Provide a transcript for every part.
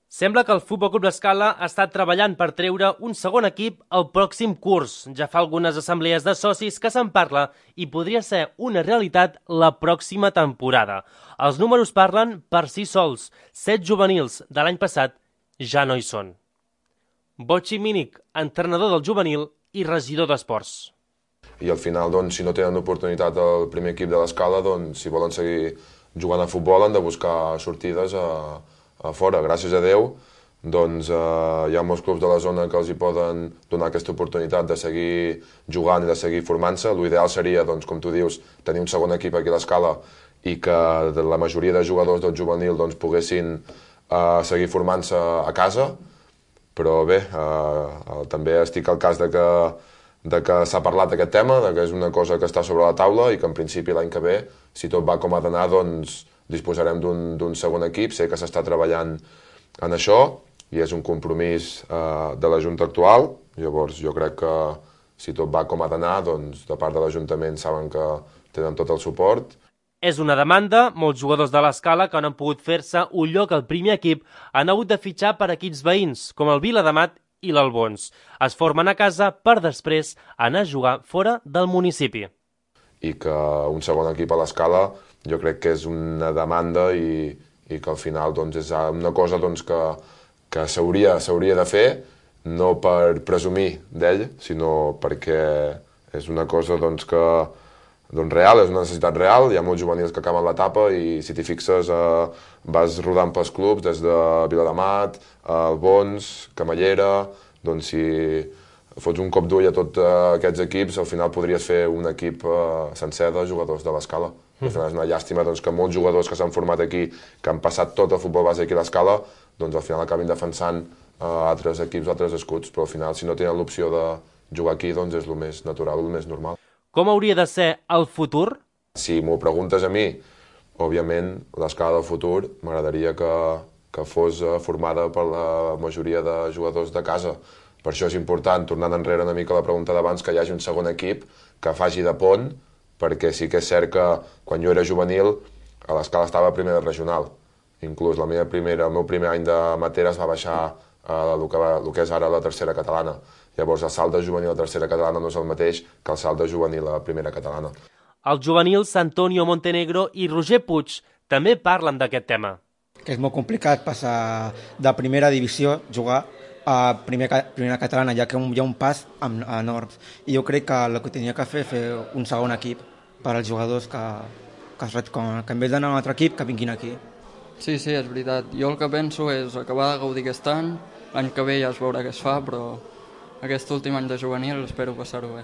Sembla que el Futbol Club L'Escala ha estat treballant per treure un segon equip al pròxim curs. Ja fa algunes assemblees de socis que se'n parla i podria ser una realitat la pròxima temporada. Els números parlen per si sols. 7 juvenils de l'any passat ja no hi són. Botxi Mínic, entrenador del juvenil i regidor d'esports. I al final, doncs, si no tenen oportunitat al primer equip de l'Escala, doncs, si volen seguir jugant a futbol han de buscar sortides a fora. Gràcies a Déu, doncs, hi ha molts clubs de la zona que els hi poden donar aquesta oportunitat de seguir jugant i de seguir formant-se. L'ideal seria, doncs, com tu dius, tenir un segon equip aquí a l'Escala i que la majoria de jugadors del juvenil doncs, poguessin seguir formant-se a casa, però bé, també estic al cas de que s'ha parlat d'aquest tema, de que és una cosa que està sobre la taula i que en principi l'any que ve, si tot va com ha d'anar, doncs disposarem d'un segon equip. Sé que s'està treballant en això i és un compromís de la Junta actual. Llavors jo crec que si tot va com ha d'anar, doncs de part de l'Ajuntament saben que tenen tot el suport. És una demanda, molts jugadors de l'Escala que no han pogut fer-se un lloc al primer equip han hagut de fitxar per equips veïns, com el Viladamat i l'Albons. Es formen a casa per després anar a jugar fora del municipi. I que un segon equip a l'Escala jo crec que és una demanda i que al final doncs, és una cosa doncs, que s'hauria de fer, no per presumir d'ell, sinó perquè és una cosa doncs, que real, és una necessitat real. Hi ha molts juvenils que acaben l'etapa i si t'hi fixes vas rodant pels clubs des de Viladamat, Albons, Camallera. Doncs si fots un cop d'ull a tots aquests equips, al final podries fer un equip sencer de jugadors de l'Escala. Al final és una llàstima doncs, que molts jugadors que s'han format aquí, que han passat tot el futbol base aquí a l'Escala, doncs al final acabin defensant altres equips, altres escuts, però al final si no tenen l'opció de jugar aquí doncs és el més natural, el més normal. Com hauria de ser el futur? Si m'ho preguntes a mi, òbviament l'Escala del futur m'agradaria que fos formada per la majoria de jugadors de casa. Per això és important, tornant enrere una mica a la pregunta d'abans, que hi hagi un segon equip que faci de pont, perquè sí que és cert que quan jo era juvenil a l'Escala estava a primera regional. Inclús el meu primer any de Materes va baixar el que és ara la tercera catalana. Llavors el salt de juvenil a tercera catalana no és el mateix que el salt de juvenil a primera catalana. Els juvenils Antonio Montenegro i Roger Puig també parlen d'aquest tema. Que és molt complicat passar de primera divisió, jugar a primera catalana, ja que hi ha un pas enorme. I jo crec que el que tenia que fer un segon equip per als jugadors que en vez d'anar a un altre equip, que vinguin aquí. Sí, és veritat. Jo el que penso és acabar de gaudir aquest any, l'any que ve ja es veurà què es fa, però aquest últim any de juvenil espero passar-ho bé.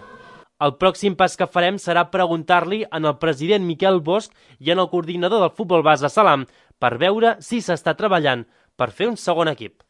El pròxim pas que farem serà preguntar-li al president Miquel Bosch i al coordinador del futbol base Salam per veure si s'està treballant per fer un segon equip.